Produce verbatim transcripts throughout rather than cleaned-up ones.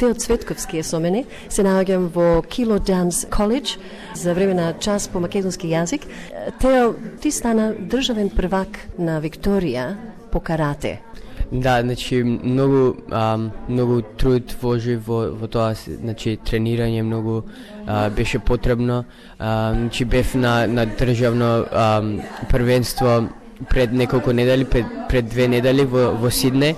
Тео Цветковски е со мене. Се наоѓам во Kilo Dance College за време на час по македонски јазик. Тео, ти стана државен првак на Викторија по карате. Да, значи многу а, многу труд вложив во во тоа, значи тренирање многу а, беше потребно. А, значи бев на на државно а, првенство пред неколку недели, пред, пред две недели во во Сиднеј.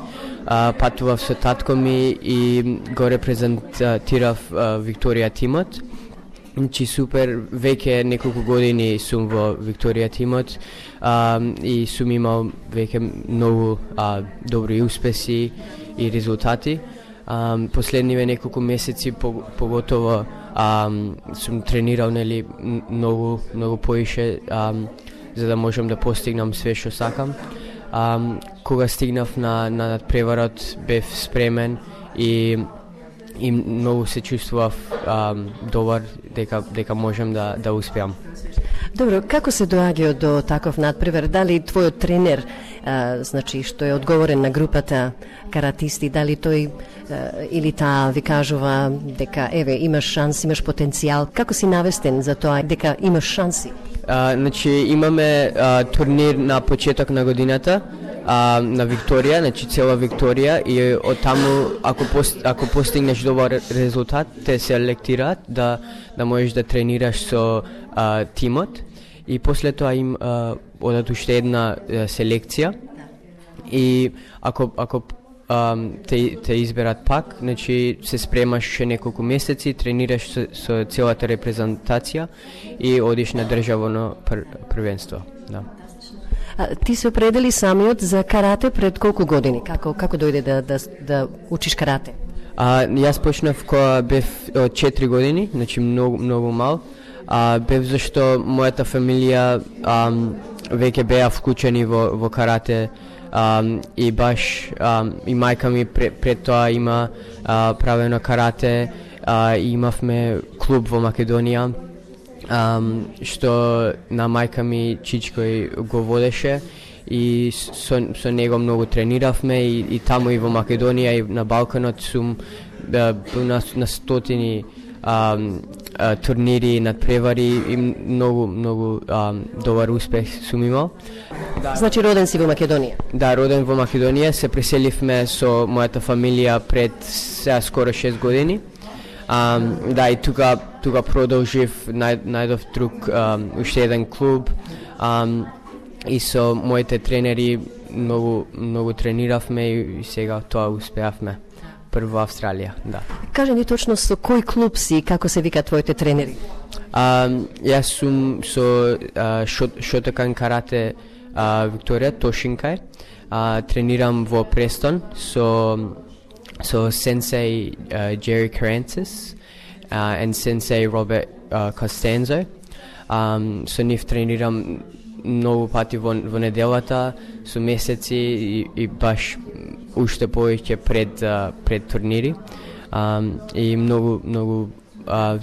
А, патував со татко ми и го репрезентирав а, Викторија тимот. Значи супер, веќе неколку години сум во Викторија тимот а, и сум имал веќе многу а, добри успеси и резултати. А, последниве неколку месеци поготово а, сум тренирал нели многу многу поише а, за да можам да постигнам све што сакам. А, кога стигнав на на надпреварот бев спремен и и многу се чувствував а, добар дека дека можам да да успеам. Добро, како се доаѓа до таков надпревар? Дали твојот тренер, а, значи што е одговорен на групата каратисти, дали тој а, или таа ви кажува дека еве имаш шанс, имаш потенцијал? Како си навестен за тоа дека имаш шанси? А, значи имаме а, турнир на почеток на годината а, на Викторија, значи цела Викторија, и од таму ако пост, ако постигнеш добар резултат те се селектираат да да можеш да тренираш со а, тимот и после тоа им а, одат уште една а, селекција и ако ако а, те те изберат пак, значи се спремаш ше неколку месеци, тренираш со, со целата репрезентација и одиш на државно пр, првенство, да. А, ти се определи самиот за карате пред колку години? Како како дојде да да да учиш карате? А, јас почнав кога бев од четири години, значи многу многу мал. А, бев зашто мојата фамилија а, веќе беа вклучени во во карате а, и баш а, и мајка ми пред, пред тоа има а, правено карате, а, и имавме клуб во Македонија. Um, што на мајка ми Чичкој го водеше и со, со него многу трениравме и, и таму и во Македонија и на Балканот сум да, на, на стотини um, uh, турнири, надпревари и многу, многу um, добар успех сум имал. Да. Значи роден си во Македонија? Да, роден во Македонија, се преселивме со мојата фамилија пред сега скоро шест години. Um, да, и тука, тука продолжив, нај, најдов друг, um, уште еден клуб um, и со моите тренери многу, многу трениравме и сега тоа успеавме. Прво Австралија, да. Кажи ни точно со кој клуб си и како се вика твоите тренери? Um, јас сум со uh, шот, Шотокан карате uh, Викторија, Тошинкај. Uh, тренирам во Престон со So Sensei uh, Jerry Carantis uh, and Sensei Robert uh, Costanzo. Um, so нив тренирам многу пати во, во неделата, со месеци и, и баш уште повеќе пред uh, пред турнири. Um, и многу многу uh,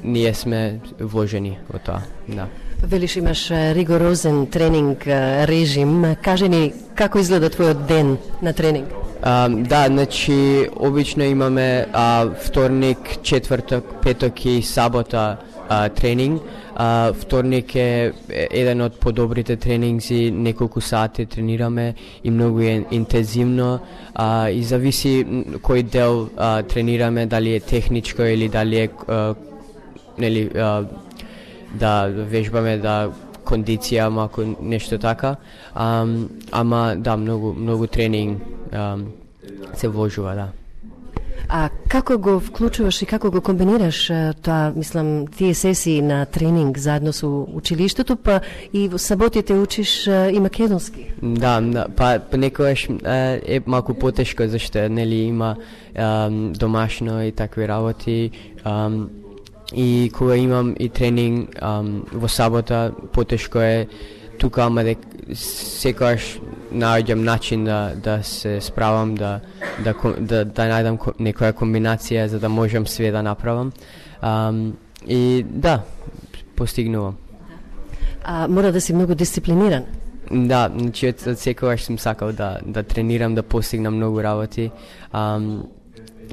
ние сме вложени во тоа, да. Велиш имаш ригорозен тренинг режим. Кажи ни како изгледа твојот ден на тренинг? Um, да, значи обично имаме uh, вторник, четврток, петок и сабота uh, тренинг. Uh, вторник е еден од подобрите тренинзи, неколку сати тренираме и многу е интензивно uh, и зависи кој дел uh, тренираме, дали е техничко или дали е uh, нели uh, да вежбаме да кондиција, малку нешто така. Um, ама да, многу многу тренинг um, се вложува, да. А како го вклучуваш и како го комбинираш тоа, мислам, тие сесии на тренинг заедно со училиштето, па и во саботите учиш и македонски? Да, да, па понекогаш е малку потешко зашто нели има um, домашно и такви работи. Um, И кога имам и тренинг um, во сабота, потешко е тука, ама дек секогаш наоѓам начин да да се справам, да да да, да најдам некоја комбинација за да можам све да направам. Um, и да, постигнувам. А мора да си многу дисциплиниран. Да, значи од секогаш сум сакал да да тренирам, да постигнам многу работи. Um,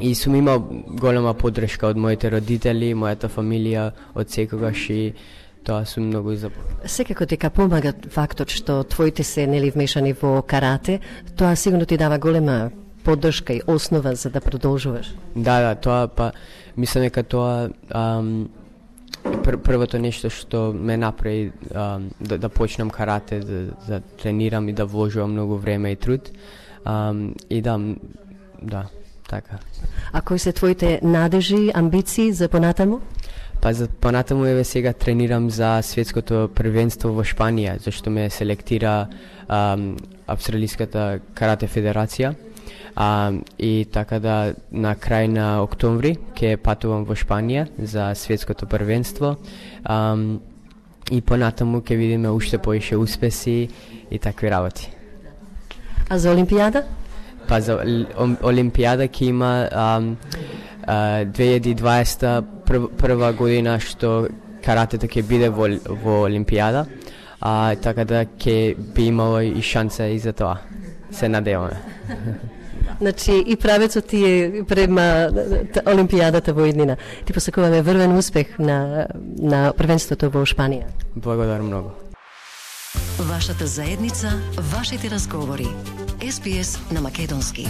и сум имал голема поддршка од моите родители, мојата фамилија од секогаш и тоа сум многу запомнет. Секако дека помага фактот што твоите се нели вмешани во карате, тоа сигурно ти дава голема поддршка и основа за да продолжуваш. Да, да, тоа па мислам дека тоа ам, пр првото нешто што ме направи ам, да, да почнам карате, да, да тренирам и да вложувам многу време и труд. Ам, и да, да, така. А кои се твоите надежи, амбиции за понатаму? Па за понатаму еве сега тренирам за светското првенство во Шпанија, зашто ме селектира ам, Австралиската карате федерација. А, и така да на крај на октомври ќе патувам во Шпанија за светското првенство. А, и понатаму ќе видиме уште поише успеси и такви работи. А за Олимпијада? Па за Олимпијада ќе има а, а, две илјади и дваесета прв, прва година што каратето ќе биде во, во Олимпијада, а така да ќе би имало и шанса и за тоа. Се надеваме. Значи и правецот ти е према Олимпијадата во иднина. Ти посакуваме врвен успех на на првенството во Шпанија. Благодарам многу. Вашата заедница, вашите разговори. Ес Би Ес на македонски.